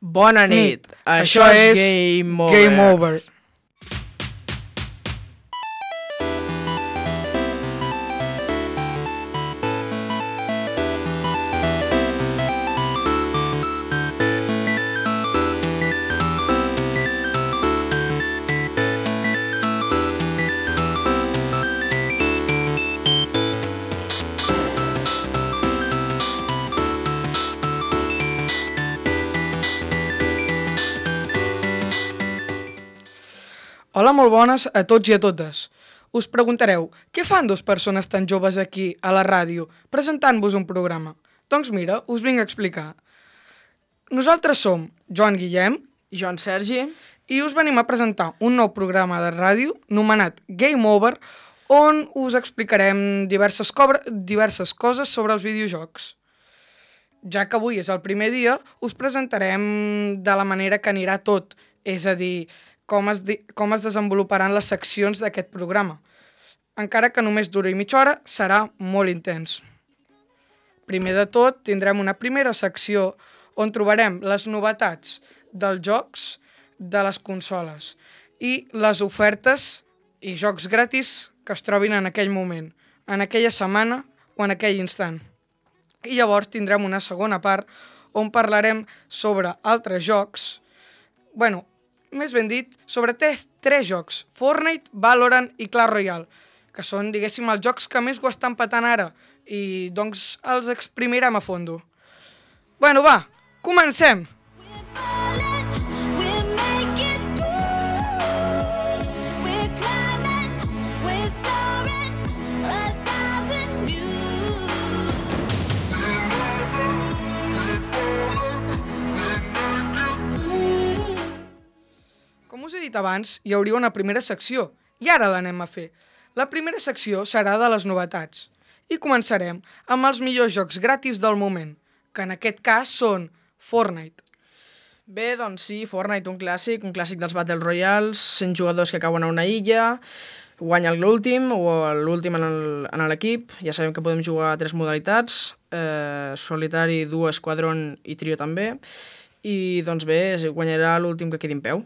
Bona nit. Això és Game Over. Game Over. Hola, molt bones a tots i a totes. Us preguntareu, què fan dues persones tan joves aquí, a la ràdio, presentant-vos un programa? Doncs mira, us vinc a explicar. Nosaltres som Joan Guillem I Joan Sergi. i us venim a presentar un nou programa de ràdio nomenat Game Over, on us explicarem diverses coses sobre els videojocs. Ja que avui és el primer dia, us presentarem de la manera que anirà tot, és a dir, com es desenvoluparan les seccions d'aquest programa. Encara que només duri mitja hora, serà molt intens. Primer de tot, tindrem una primera secció on trobarem les novetats dels jocs de les consoles i les ofertes i jocs gratis que es trobin en aquell moment, en aquella setmana o en aquell instant. I llavors tindrem una segona part on parlarem sobre altres jocs, més ben dit, sobre tres jocs, Fortnite, Valorant i Clash Royale, que són, diguéssim, els jocs que més ho estan patant ara, i doncs els exprimirem a fondo. Va, comencem! Com us he dit abans, hi hauria una primera secció, i ara l'anem a fer. La primera secció serà de les novetats. I començarem amb els millors jocs gratis del moment, que en aquest cas són Fortnite. Bé, doncs sí, Fortnite, un clàssic dels Battle Royals, 100 jugadors que cauen a una illa, guanya l'últim o l'últim en l'equip. Ja sabem que podem jugar a 3 modalitats, solitari, duo, esquadron i trio també. I doncs bé, guanyarà l'últim que quedi en peu.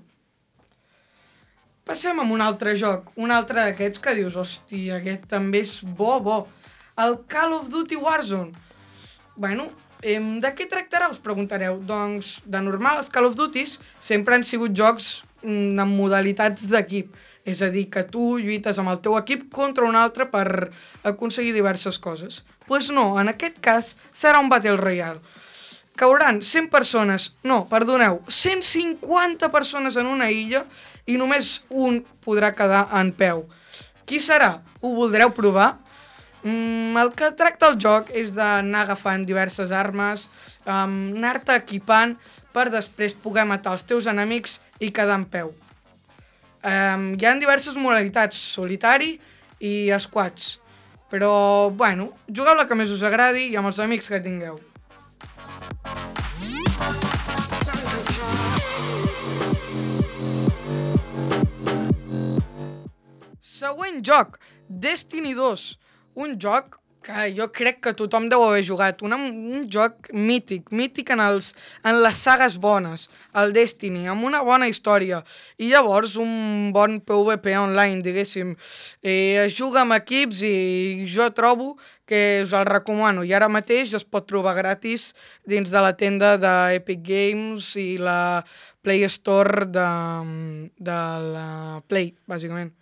Passem amb un altre joc, un altre d'aquests que dius, hòstia, aquest també és bo. El Call of Duty Warzone. De què tractarà, us preguntareu? Doncs, de normal, els Call of Duties sempre han sigut jocs amb modalitats d'equip. És a dir, que tu lluites amb el teu equip contra un altre per aconseguir diverses coses. Doncs no, en aquest cas serà un Battle Royale. Cauran 100 persones, 150 persones en una illa i només un podrà quedar en peu. Qui serà? Ho voldreu provar? El que tracta el joc és d'anar agafant diverses armes, anar-te equipant per després poder matar els teus enemics i quedar en peu. Hi ha diverses modalitats, solitari i squads, però, jugueu la que més us agradi i amb els amics que tingueu. Següent joc, Destiny 2, un joc que jo crec que tothom deu haver jugat, un joc mític en les sagues bones, el Destiny, amb una bona història, i llavors un bon PvP online, diguéssim. Es juga amb equips i jo trobo que us el recomano, i ara mateix es pot trobar gratis dins de la tenda d'Epic Games i la Play Store de la Play, bàsicament.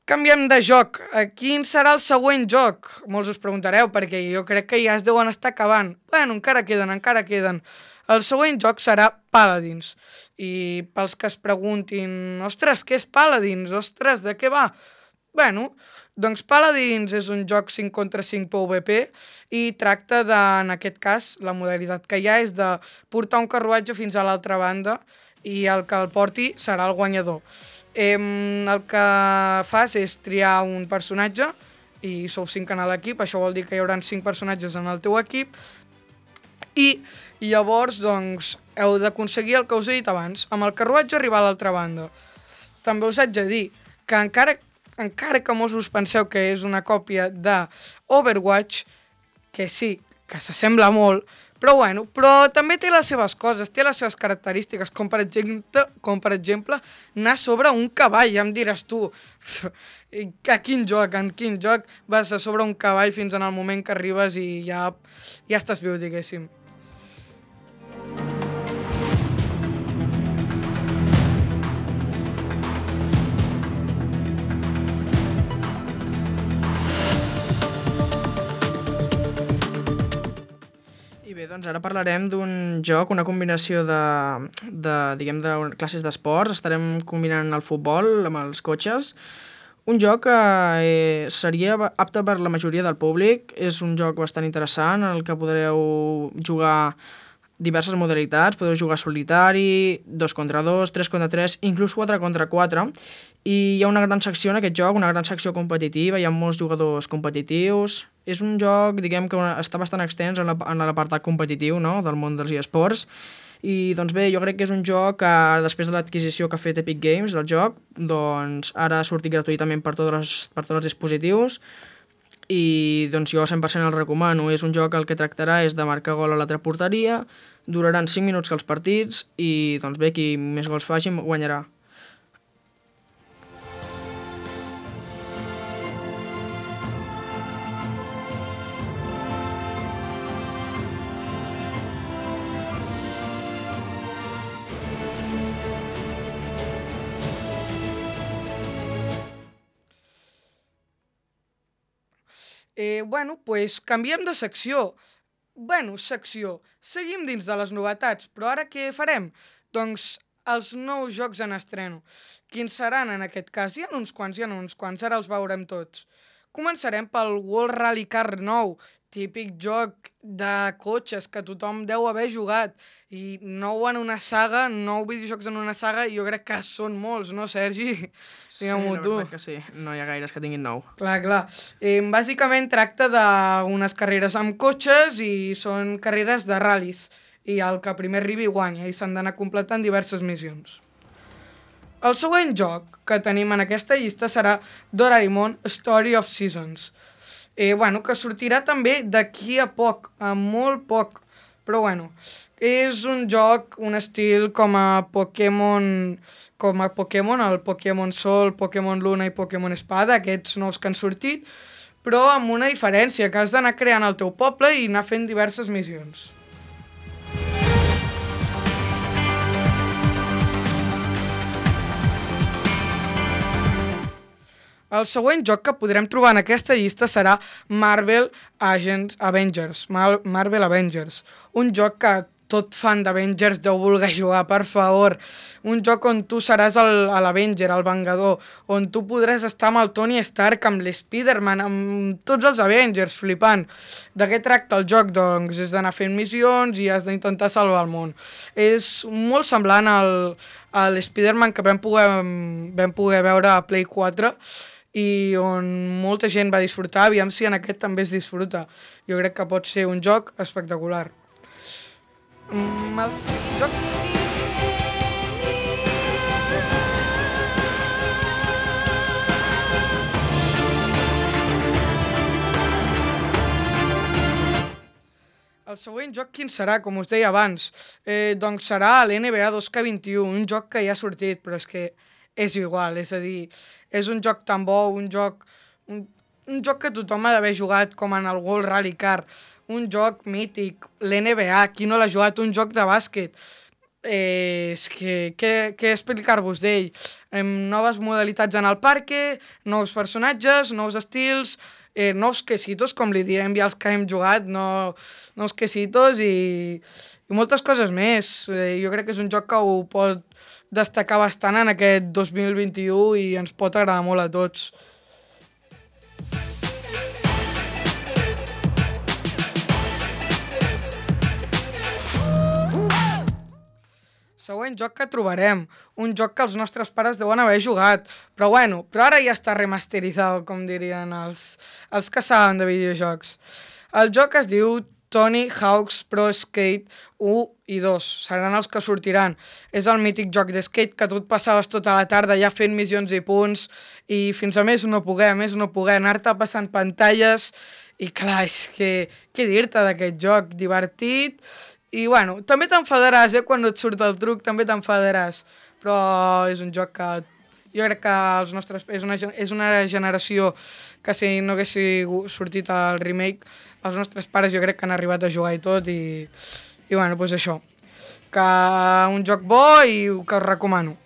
Canviem de joc. Quin serà el següent joc? Molts us preguntareu, perquè jo crec que ja es deuen estar acabant. Encara queden. El següent joc serà Paladins. I pels que es preguntin, ostres, què és Paladins? Ostres, de què va? Doncs Paladins és un joc 5 contra 5 PvP i tracta de, en aquest cas, la modalitat que hi ha és de portar un carruatge fins a l'altra banda i el que el porti serà el guanyador. El que fas és triar un personatge i sou 5 en l'equip, això vol dir que hi haurà 5 personatges en el teu equip i llavors doncs heu d'aconseguir el que us he dit abans, amb el carruatge arribar a l'altra banda. També us haig de dir que encara que molts us penseu que és una còpia de Overwatch, que sí, que s'assembla molt, Però també té les seves coses, té les seves característiques, com per exemple anar sobre un cavall, ja em diràs tu, en quin joc vas a sobre un cavall fins en el moment que arribes i ja estàs viu, diguéssim. I bé, doncs ara parlarem d'un joc, una combinació diguem, de classes d'esports. Estarem combinant el futbol amb els cotxes. Un joc que seria apte per la majoria del públic. És un joc bastant interessant, en el que podreu jugar diverses modalitats. Podeu jugar solitari, 2 contra 2, 3 contra 3, inclús 4 contra 4. I hi ha una gran secció en aquest joc, una gran secció competitiva, hi ha molts jugadors competitius. És un joc, diguem, que està bastant extens en l'apartat competitiu, no?, del món dels eSports. I doncs bé, jo crec que és un joc que després de l'adquisició que ha fet Epic Games del joc, doncs ara ha sortit gratuïtament per tots els dispositius i doncs jo 100% el recomano. És un joc que el que tractarà és de marcar gol a l'altra porteria, duraran 5 minuts que els partits i doncs bé, qui més gols faci guanyarà. Canviem de secció. Secció. Seguim dins de les novetats, però ara què farem? Doncs els nous jocs en estreno. Quins seran en aquest cas? Hi ha uns quants, ara els veurem tots. Començarem pel World Rally Car 9, típic joc de cotxes que tothom deu haver jugat. I 9 videojocs en una saga, jo crec que són molts, no, Sergi? Sí, la veritat que sí, no hi ha gaires que tinguin 9. Clar. Bàsicament tracta d'unes carreres amb cotxes i són carreres de ral·lis. I el que primer arribi guanya i s'han d'anar completant diverses missions. El següent joc que tenim en aquesta llista serà Doraemon Story of Seasons. Que sortirà també d'aquí a poc, a molt poc. Però és un joc, un estil com a Pokémon, el Pokémon Sol, Pokémon Luna i Pokémon Espada, aquests nous que han sortit, però amb una diferència, que has d'anar creant el teu poble i anar fent diverses missions. El següent joc que podrem trobar en aquesta llista serà Marvel Avengers, un joc que tot fan d'Avengers deu voler jugar, per favor. Un joc on tu seràs l'Avenger, el Vengador, on tu podràs estar amb el Tony Stark, amb l'Spider-Man, amb tots els Avengers, flipant. De què tracta el joc? Doncs és d'anar fent missions i has d'intentar salvar el món. És molt semblant a l'Spider-Man que vam poder veure a Play 4 i on molta gent va disfrutar, aviam si en aquest també es disfruta. Jo crec que pot ser un joc espectacular. El següent joc quin serà, com us deia abans? Doncs serà l'NBA 2K21, un joc que ja ha sortit, però és que és igual, és a dir, és un joc tan bo, un joc que tothom ha d'haver jugat, com en el World Rally Car, un joc mític, l'NBA, qui no l'ha jugat, un joc de bàsquet. És que, què explicar-vos d'ell? Noves modalitats en el parque, nous personatges, nous estils, nous quesitos, com li diem ja els que hem jugat, nous quesitos i moltes coses més. Jo crec que és un joc que ho pot destacar bastant en aquest 2021 i ens pot agradar molt a tots. Següent joc que trobarem, un joc que els nostres pares deuen haver jugat, però ara ja està remasteritzat, com dirien els que saben de videojocs. El joc es diu Tony Hawk's Pro Skate 1 i 2, seran els que sortiran. És el mític joc de skate que tu et passaves tota la tarda ja fent missions i punts i fins a més no poder anar-te passant pantalles I clar, és que què dir-te d'aquest joc? Divertit. I bueno, també t'enfadaràs, quan no et surt el truc, també t'enfadaràs. Però és un joc que jo crec que els nostres, és una generació que si no hagués sortit el remake, els nostres pares jo crec que han arribat a jugar i tot i bueno, doncs això. Que un joc bo i que us recomano.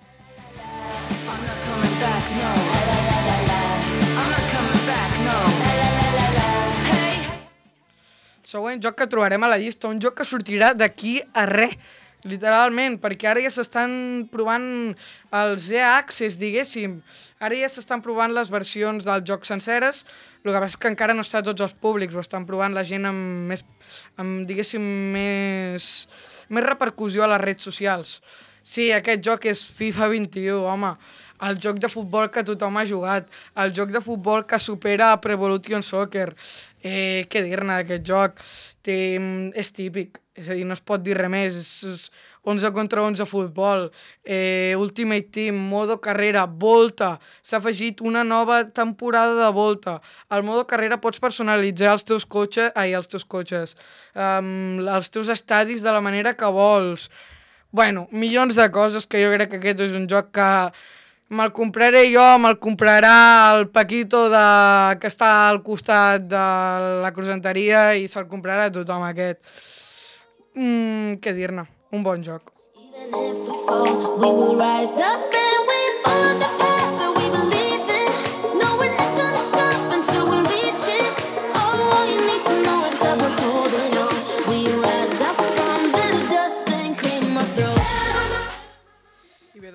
Següent joc que trobarem a la llista, un joc que sortirà d'aquí a res, literalment, perquè ara ja s'estan provant els EA Access, diguéssim. Ara ja s'estan provant les versions del joc senceres, el que passa és que encara no està a tots els públics, ho estan provant la gent amb diguéssim, més repercussió a les redes socials. Sí, aquest joc és FIFA 21, home. El joc de futbol que tothom ha jugat, el joc de futbol que supera Pro Evolution Soccer. Què dir-ne d'aquest joc? És típic, és a dir, no es pot dir res més, és 11 contra 11 futbol, Ultimate Team, modo carrera, Volta, s'ha afegit una nova temporada de Volta. Al modo carrera pots personalitzar els teus cotxes, els teus estadis de la manera que vols. Bueno, milions de coses que jo crec que aquest és un joc que me'l compraré jo, me'l comprarà el Paquito que està al costat de la croissanteria i se'l comprarà a tothom aquest. Què dir-ne? Un bon joc.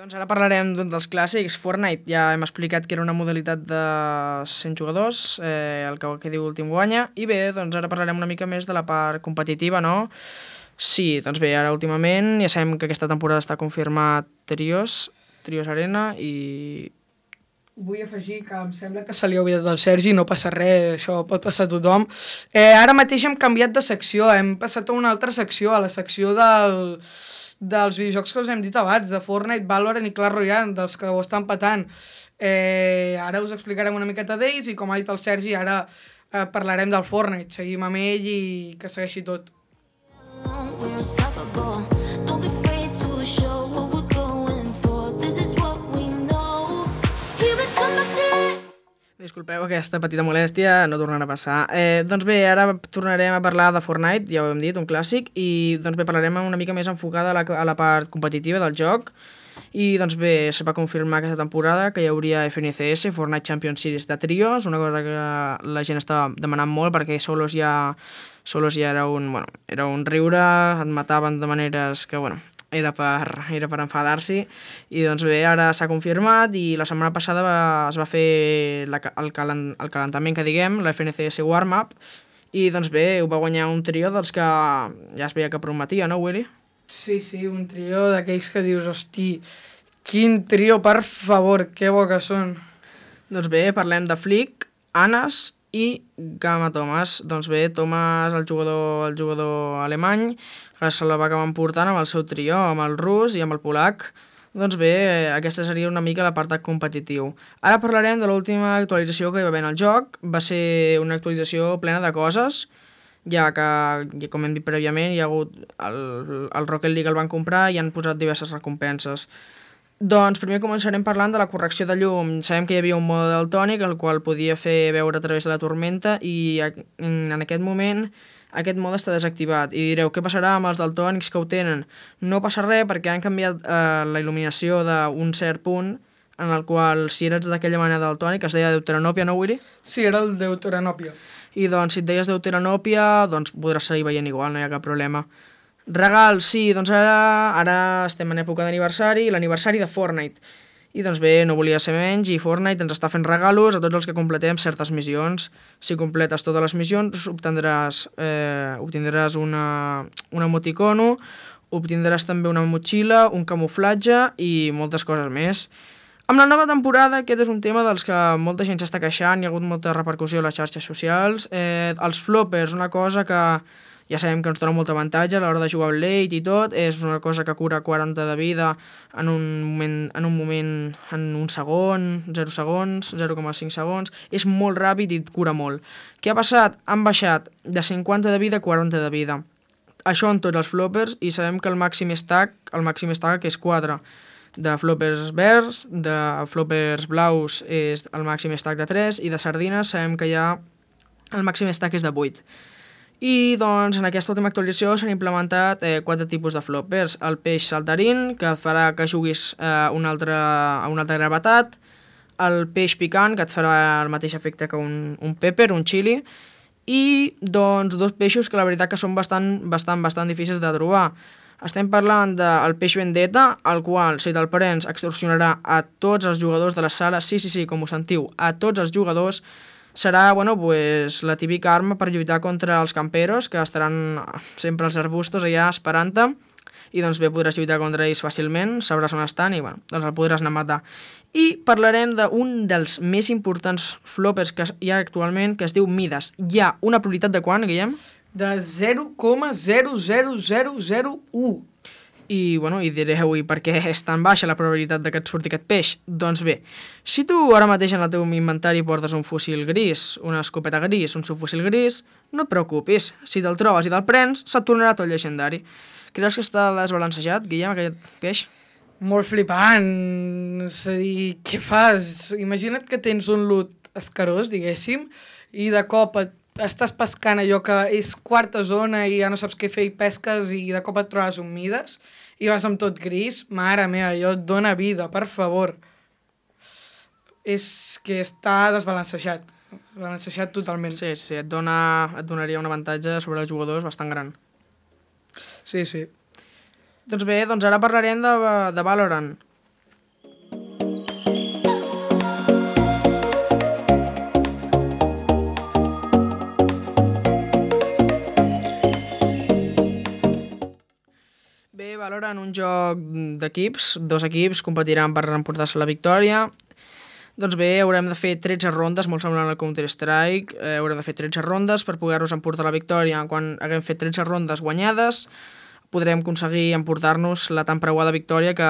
Doncs ara parlarem d'un dels clàssics, Fortnite. Ja hem explicat que era una modalitat de 100 jugadors, el que diu últim guanya. I bé, doncs ara parlarem una mica més de la part competitiva, no? Sí, doncs bé, ara últimament ja sabem que aquesta temporada està confirmat Trios Arena i... Vull afegir que em sembla que se li ha oblidat al Sergi, no passa res, això pot passar a tothom. Ara mateix hem canviat de secció, hem passat a una altra secció, a la secció dels videojocs que us hem dit abans, de Fortnite, Valorant i Clash Royale, dels que ho estan patant. Ara us explicarem una miqueta d'ells i com ha dit el Sergi, ara parlarem del Fortnite. Seguim amb ell i que segueixi tot. Disculpeu aquesta petita molèstia, no tornarà a passar. Doncs bé, ara tornarem a parlar de Fortnite, ja ho hem dit, un clàssic, i doncs bé, parlarem una mica més enfocada a la part competitiva del joc. I doncs bé, se va confirmar aquesta temporada que hi hauria FNCS, Fortnite Champions Series de trios, una cosa que la gent estava demanant molt perquè solos ja era un riure, et mataven de maneres que, era per enfadar-s'hi, i doncs bé, ara s'ha confirmat i la setmana passada es va fer el calentament que diguem, la FNCS Warm-Up, i doncs bé, ho va guanyar un trio dels que ja es veia que prometia, no, Willy? Sí, un trio d'aquells que dius, hosti, quin trio, per favor, que bo que són. Doncs bé, parlem de Flick, Anas i Gamma Thomas. Doncs bé, Thomas, el jugador alemany, que se la va acabar emportant amb el seu trio, amb el rus i amb el polac. Doncs bé, aquesta seria una mica l'apartat competitiu. Ara parlarem de l'última actualització que hi va haver en el joc. Va ser una actualització plena de coses, ja que, com hem dit prèviament, hi ha hagut el Rocket League el van comprar i han posat diverses recompenses. Doncs primer començarem parlant de la correcció de llum. Sabem que hi havia un mode daltònic el qual podia fer veure a través de la tormenta i en aquest moment aquest mode està desactivat. I direu, què passarà amb els daltònics que ho tenen? No passa res perquè han canviat la il·luminació d'un cert punt en el qual si eres d'aquella manera daltònica es deia deuteranòpia, no, Willy? Sí, era el deuteranòpia. I doncs si et deies deuteranòpia doncs podràs seguir veient igual, no hi ha cap problema. Regals, sí, doncs ara estem en època d'aniversari, l'aniversari de Fortnite. I doncs bé, no volia ser menys i Fortnite ens està fent regalos a tots els que completem certes missions. Si completes totes les missions obtindràs un emoticono, obtindràs també una motxilla, un camuflatge i moltes coses més. Amb la nova temporada, aquest és un tema dels que molta gent s'està queixant, hi ha hagut molta repercussió a les xarxes socials. Els floppers, una cosa que ja sabem que ens dona molt avantatge a l'hora de jugar amb late i tot, és una cosa que cura 40 de vida en un segon, 0 segons, 0,5 segons, és molt ràpid i et cura molt. Què ha passat? Han baixat de 50 de vida a 40 de vida. Això en tots els floppers, i sabem que el màxim stack és 4. De floppers verds, de floppers blaus és el màxim stack de 3 i de sardines sabem que ja el màxim stack és de 8. I doncs en aquesta última actualització s'han implementat 4 tipus de floppers. El peix saltarín, que farà que juguis a una altra gravetat, el peix picant, que et farà el mateix efecte que un pepper, un chili, i doncs 2 peixos que la veritat que són bastant difícils de trobar. Estem parlant del peix vendetta, el qual, si te'l prens, extorsionarà a tots els jugadors de la sala, sí, com ho sentiu, a tots els jugadors. Serà, pues, la típica arma per lluitar contra els camperos, que estaran sempre als arbustos allà esperant-te, i doncs bé, podràs lluitar contra ells fàcilment, sabràs on estan i doncs el podràs anar a matar. I parlarem d'un dels més importants floppers que hi ha actualment, que es diu Midas. Hi ha una probabilitat de quant, Guillem? De 0,00001. I direu, i per què és tan baixa la probabilitat que et surti aquest peix? Doncs bé, si tu ara mateix en el teu inventari portes un fusil gris, una escopeta gris, un subfusil gris, no et preocupis. Si te'l trobes i te'l prens, se't tornarà tot llegendari. Creus que està desbalancejat, Guillem, aquest peix? Molt flipant. És a dir, què fas? Imagina't que tens un loot escarós, diguéssim, i de cop estàs pescant allò que és quarta zona i ja no saps què fer i pesques i de cop et trobes un Midas i vas amb tot gris. Mare meva, allò et dona vida, per favor. És que està desbalancejat totalment. Sí, et donaria un avantatge sobre els jugadors bastant gran. Sí. Doncs bé, ara parlarem de Valorant. Bé, Valorant, un joc d'equips, 2 equips competiran per emportar-se la victòria. Doncs bé, haurem de fer 13 rondes, molt semblant al Counter-Strike, haurem de fer 13 rondes per poder-nos emportar la victòria. Quan haguem fet 13 rondes guanyades, podrem aconseguir emportar-nos la tan preuada victòria que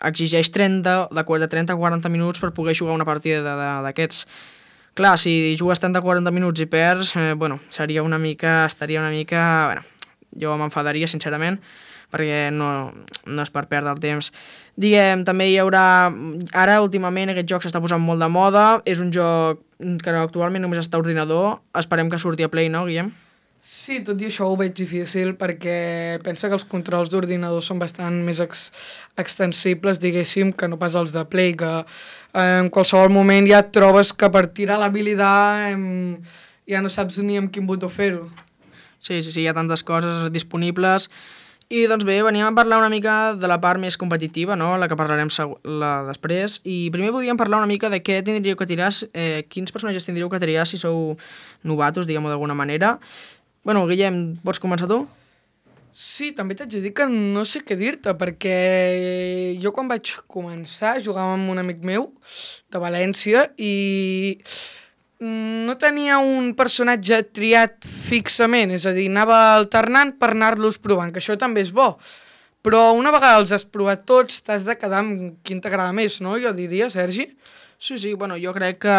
exigeix de 30 a 40 minuts per poder jugar una partida d'aquests. Clar, si jugues 30 a 40 minuts i perds, estaria una mica... Jo m'enfadaria, sincerament, perquè no és per perdre el temps. Diguem, també hi haurà... Ara, últimament, aquest joc s'està posant molt de moda. És un joc que actualment només està a ordinador. Esperem que surti a Play, no, Guillem? Sí, tot i això ho veig difícil perquè pensa que els controls d'ordinador són bastant més extensibles, diguéssim, que no pas els de Play, que en qualsevol moment ja et trobes que per tirar l'habilitat ja no saps ni amb quin botó fer-ho. Sí, hi ha tantes coses disponibles. I doncs bé, veníem a parlar una mica de la part més competitiva, no? La que parlarem després. I primer podríem parlar una mica de què tindríeu que tirar, quins personatges tindríeu que triar si sou novatos, diguem-ho d'alguna manera. Guillem, pots començar tu? Sí, també t'haig de dir que no sé què dir-te, perquè jo quan vaig començar jugava amb un amic meu de València i no tenia un personatge triat fixament, és a dir, anava alternant per anar-los provant, que això també és bo. Però una vegada els has provat tots, t'has de quedar amb quin t'agrada més, no? Jo diria, Sergi? Sí, jo crec que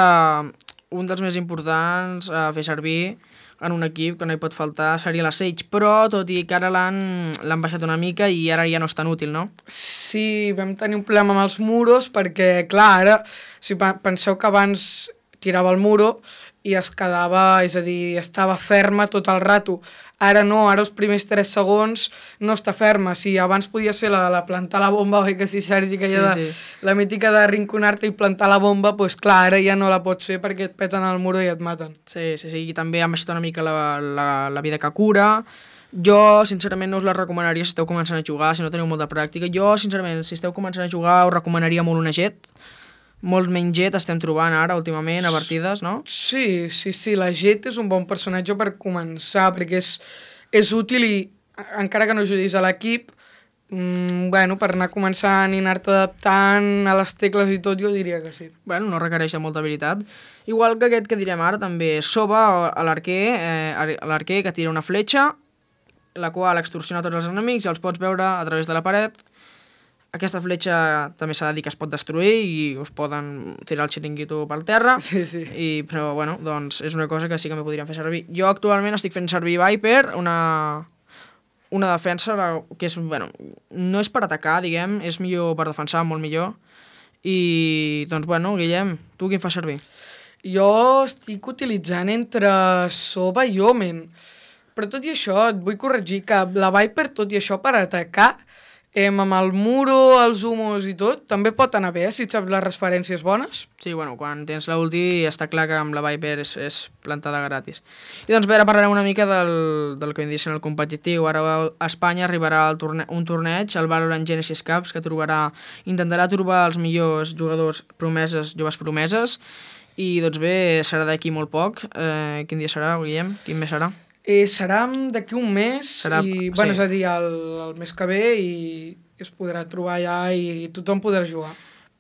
un dels més importants a fer servir en un equip que no hi pot faltar seria la Sage, però tot i que ara l'han baixat una mica i ara ja no és tan útil, no? Sí, vam tenir un problema amb els muros perquè, clar, ara, si penseu que abans tirava el muro i es quedava, és a dir, estava ferma tot el rato. Ara no, ara els primers 3 segons no està ferma. Si abans podia ser la de plantar la bomba, oi que sí, Sergi, que sí. La mítica de rinconar-te i plantar la bomba, doncs clar, ara ja no la pots fer perquè et peten el muro i et maten. Sí, i també han baixat una mica la vida que cura. Jo, sincerament, no us la recomanaria si esteu començant a jugar, si no teniu molta pràctica. Jo, sincerament, si esteu començant a jugar, us recomanaria molt una Jett. Molt menys Jett estem trobant ara, últimament, a partides, no? Sí, la Jett és un bon personatge per començar, perquè és útil i, encara que no ajudis a l'equip, Bueno, per anar començant i anar-te adaptant a les tecles i tot, jo diria que sí. Bueno, no requereix de molta habilitat. Igual que aquest que direm ara, també Sova, a l'arquer que tira una fletxa, la qual extorsiona tots els enemics i els pots veure a través de la paret. Aquesta fletxa també s'ha de dir que es pot destruir i us poden tirar el xiringuito pel terra. Sí, sí. Però, bueno, doncs és una cosa que sí que m'hi podríem fer servir. Jo actualment estic fent servir Viper, una defensa que és, bueno, no és per atacar, diguem, és millor per defensar, molt millor. I, doncs, bueno, Guillem, tu quin fas servir? Jo estic utilitzant entre Sova i Omen, però tot i això et vull corregir que la Viper, tot i això per atacar, amb el muro, els humos i tot, també pot anar bé, si et saps les referències bones. Sí, bueno, quan tens l'ulti està clar que amb la Viper és plantada gratis. I doncs bé, ara parlarem una mica del que hem dit en el competitiu. Ara a Espanya arribarà un torneig, el Valorant Genesis Cups, que intentarà trobar els millors jugadors promeses, joves promeses, i doncs bé, serà d'aquí molt poc. Quin dia serà, Guillem? Quin mes serà? Serà d'aquí un mes, bueno, és a dir, el mes que ve, i es podrà trobar allà i tothom podrà jugar.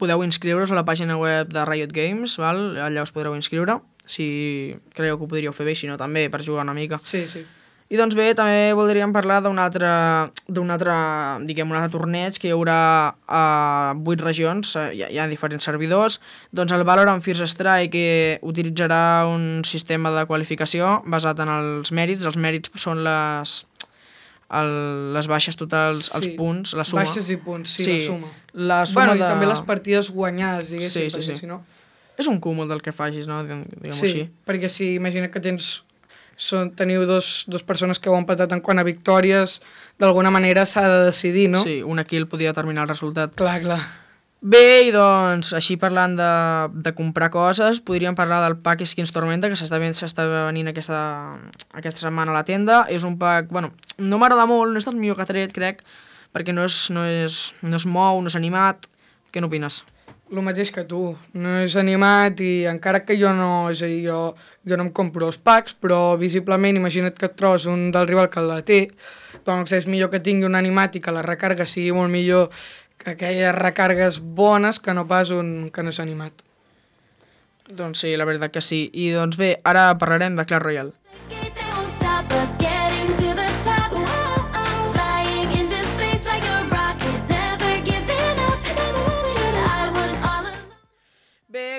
Podeu inscriure-us a la pàgina web de Riot Games, val? Allà us podreu inscriure, si creieu que ho podríeu fer bé, si no també, per jugar una mica. Sí, sí. I doncs bé, també voldríem parlar d'un altre torneig que hi haurà a 8 regions, hi ha diferents servidors. Doncs el Valorant First Strike que utilitzarà un sistema de qualificació basat en els mèrits. Els mèrits són les baixes totals, els punts, la suma. Baixes i punts, sí, la suma. La suma i també les partides guanyades, diguéssim, perquè si no... És un cúmul del que facis, no? Diguem-ho així. Sí, perquè si imagina que teniu dos persones que heu empatat en quant a victòries, d'alguna manera s'ha de decidir, no? Sí, una kill podia determinar el resultat. Clar, clar. Bé, i doncs, així parlant de comprar coses, podríem parlar del pack Skins Tormenta, que s'està venint aquesta setmana a la tenda. És un pack, bueno, no m'agrada molt, no és el millor que ha tret, crec, perquè no es mou, no és animat. Què n'opines? El mateix que tu, no és animat i encara que jo no em compro els packs, però visiblement imagina't que et trobes un del rival que la té, doncs és millor que tingui un animat i que la recarga sigui molt millor que aquelles recargues bones que no pas un que no és animat. Doncs sí, la veritat que sí. I doncs bé, ara parlarem de Clash Royale.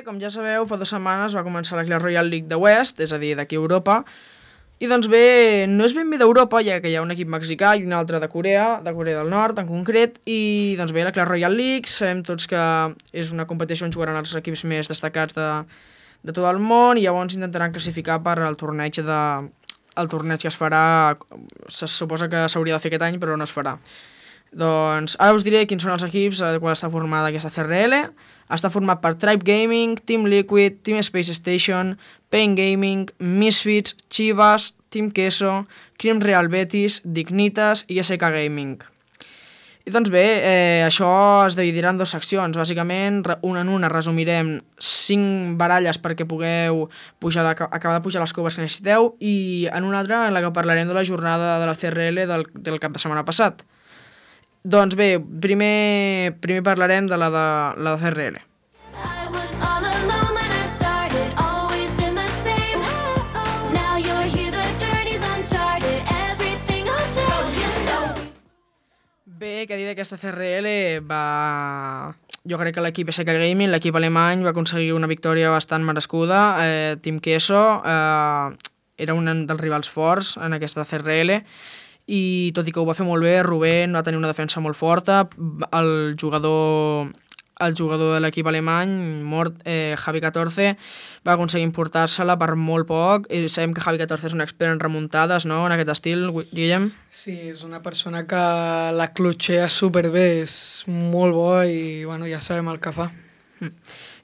Com ja sabeu, fa 2 setmanes va començar la Clash Royale League de West, és a dir, d'aquí a Europa, i doncs bé, no és ben bé d'Europa, ja que hi ha un equip mexicà i un altre de Corea del Nord en concret, i doncs bé, la Clash Royale League, sabem tots que és una competició on jugaran els equips més destacats de tot el món, i llavors intentaran classificar per al torneig que es farà, se suposa que s'hauria de fer aquest any, però no es farà. Doncs ara us diré quins són els equips de quan està formada aquesta CRL. Està format per Tribe Gaming, Team Liquid, Team Space Station, Pain Gaming, Misfits, Chivas, Team Queso, Crim Real Betis, Dignitas i SK Gaming. I doncs bé, això es dividirà en 2 seccions. Bàsicament, una en una resumirem 5 baralles perquè pugueu acabar de pujar les coves que necessiteu, i en una altra en la que parlarem de la jornada de la CRL del cap de setmana passat. Doncs bé, primer parlarem de la CRL. Bé, què dir d'aquesta CRL? Jo crec que l'equip SK Gaming, l'equip alemany, va aconseguir una victòria bastant merescuda. Team Queso era un dels rivals forts en aquesta CRL, i tot i que ho va fer molt bé, Rubén va tenir una defensa molt forta. El jugador de l'equip alemany, Javi 14, va aconseguir importar-se-la per molt poc, i sabem que Javi 14 és un expert en remuntades, no?, en aquest estil, Guillem? Sí, és una persona que la clutxea superbé, és molt bo i bueno, ja sabem el que fa.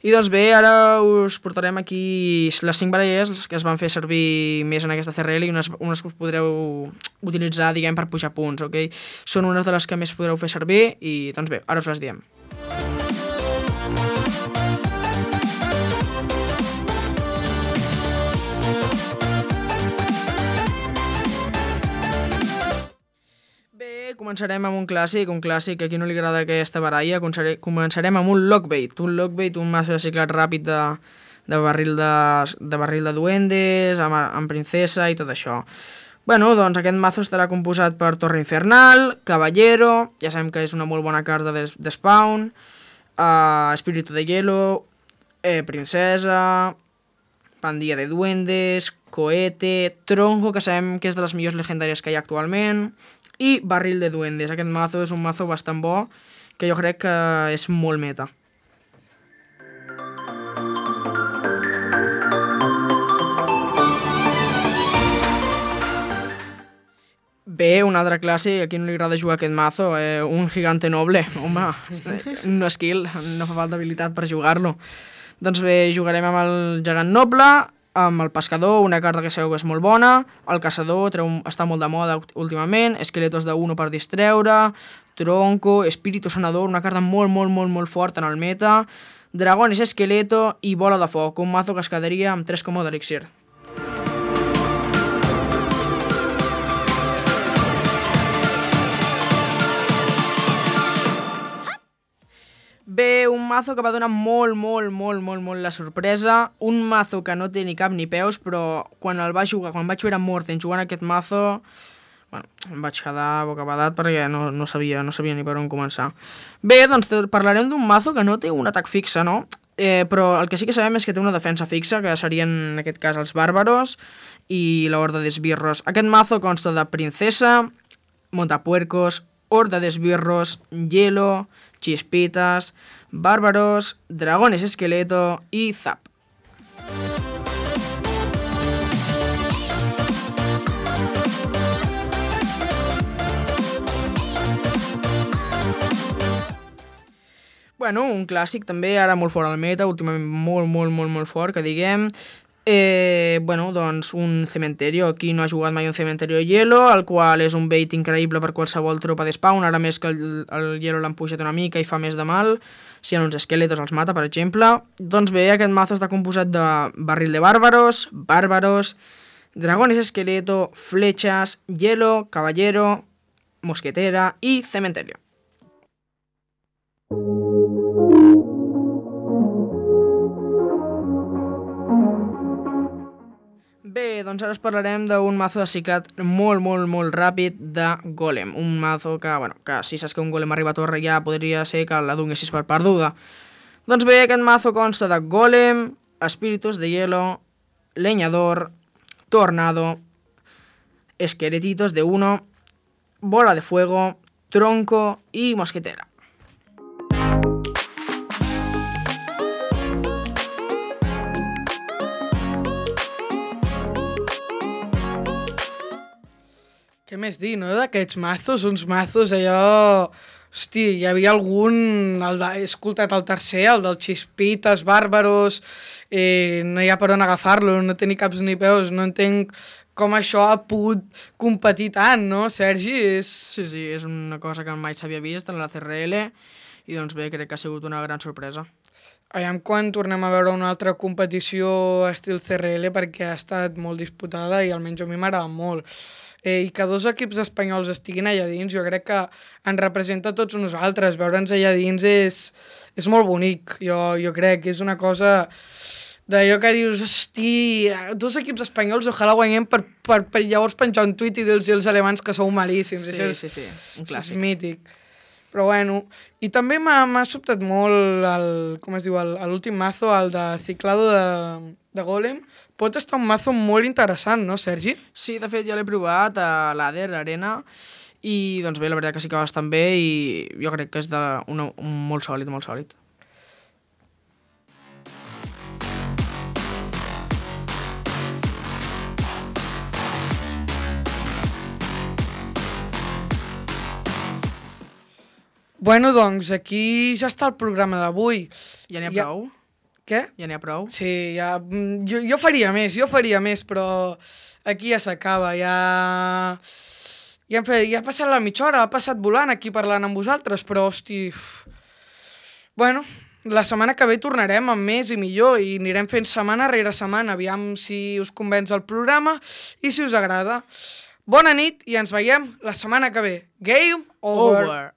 I doncs bé, ara us portarem aquí les 5 baralles que es van fer servir més en aquesta CRL i unes que us podreu utilitzar, diguem, per pujar punts, ok? Són unes de les que més podreu fer servir i, doncs bé, ara us les diem. començarem amb un clàssic que a qui no li agrada aquesta baralla. Començarem amb un Lockbait, un mazo de ciclat ràpid de barril de duendes, amb princesa i tot això. Bueno, doncs aquest mazo estarà composat per Torre Infernal, Caballero, ja sabem que és una molt bona carta de spawn, Espíritu de Hielo, Princesa, Pandilla de Duendes, Cohete, Tronco, que sabem que és de les millors legendàries que hi ha actualment, i Barril de Duendes. Aquest mazo és un mazo bastant bo, que jo crec que és molt meta. Bé, un altre clàssic, a qui no li agrada jugar aquest mazo, un Gigante Noble. Home, no skill, no fa falta habilitat per jugar-lo. Doncs bé, jugarem amb el Gegant Noble, amb el Pescador, una carta que sabeu que és molt bona, el Caçador, està molt de moda últimament, Esqueletos de 1 per distreure, Tronco, Espíritu Sanador, una carta molt forta en el meta, Dragones Esqueleto i Bola de Foc, un mazo que es quedaria amb 3 combo d'elixir. Bé, un mazo que va donar molt la sorpresa, un mazo que no té ni cap ni peus, però quan vaig veure Morten jugant aquest mazo, bueno, em vaig quedar bocabadat perquè no sabia ni per on començar. Bé, doncs parlarem d'un mazo que no té un atac fixe, no? Però el que sí que sabem és que té una defensa fixa, que serien en aquest cas els bàrbaros i l'Horda d'Esbirros. Aquest mazo consta de Princesa, Montapuercos, Horda d'Esbirros, Hielo, Chispitas, Bárbaros, Dragones Esqueleto y Zap. Bueno, un clàssic també, ara molt fort al meta, últimament molt fort, que diguem. Bueno, doncs un Cementerio. Qui no ha jugat mai un Cementerio de Hielo, el qual és un bait increïble per qualsevol tropa de spawn, ara més que el Hielo l'han pujat una mica i fa més de mal, si en uns esqueletos els mata, per exemple. Doncs bé, aquest mazo està composat de Barril de Bárbaros, Dragones Esqueleto, Flechas, Hielo, Caballero, Mosquetera i Cementerio. Bé, doncs ara us parlarem d'un mazo de ciclat molt ràpid de Golem. Un mazo que, bueno, que si saps que un Golem arriba a torre ja podria ser que la donessis per perduda. Doncs bé, aquest mazo consta de Golem, Espíritus de Hielo, Leñador, Tornado, Esqueletitos de 1, Bola de Fuego, Tronco y Mosquetera. Què més dir, no? D'aquests mazos, uns mazos allò... Hosti, hi havia algun... He escoltat el tercer, el del Chispitas, Bàrbaros... no hi ha per on agafar-lo, no té ni caps ni peus, no entenc com això ha pogut competir tant, no, Sergi? Sí, és una cosa que mai s'havia vist en la CRL i doncs bé, crec que ha sigut una gran sorpresa. Aviam quan tornem a veure una altra competició estil CRL perquè ha estat molt disputada i almenys a mi m'agrada molt. I que dos equips espanyols estiguin allà dins, jo crec que ens representa a tots nosaltres. Veure'ns allà dins és molt bonic, jo crec que és una cosa d'allò que dius, hosti, dos equips espanyols, ojalà guanyem per llavors penjar un tuit i dir-los als alemans que sou malíssims. Sí, un clàssic. És mític. Però bueno, i també m'ha sobtat molt l'últim mazo, el de Ciclado de Golem. Pot estar un mazo molt interessant, no, Sergi? Sí, de fet, jo l'he provat a l'Ader Arena i, doncs bé, la veritat que sí que va bastant bé i jo crec que és un molt sòlid. Bueno, doncs, aquí ja està el programa d'avui. Ja n'hi ha prou? Què? Ja n'hi ha prou? Sí, ja... Jo faria més, però aquí ja s'acaba, ja ha passat la mitja hora, ha passat volant aquí parlant amb vosaltres, però, hosti... Bueno, la setmana que ve tornarem amb més i millor i anirem fent setmana rere setmana, aviam si us convenç el programa i si us agrada. Bona nit i ens veiem la setmana que ve. Game over. Over.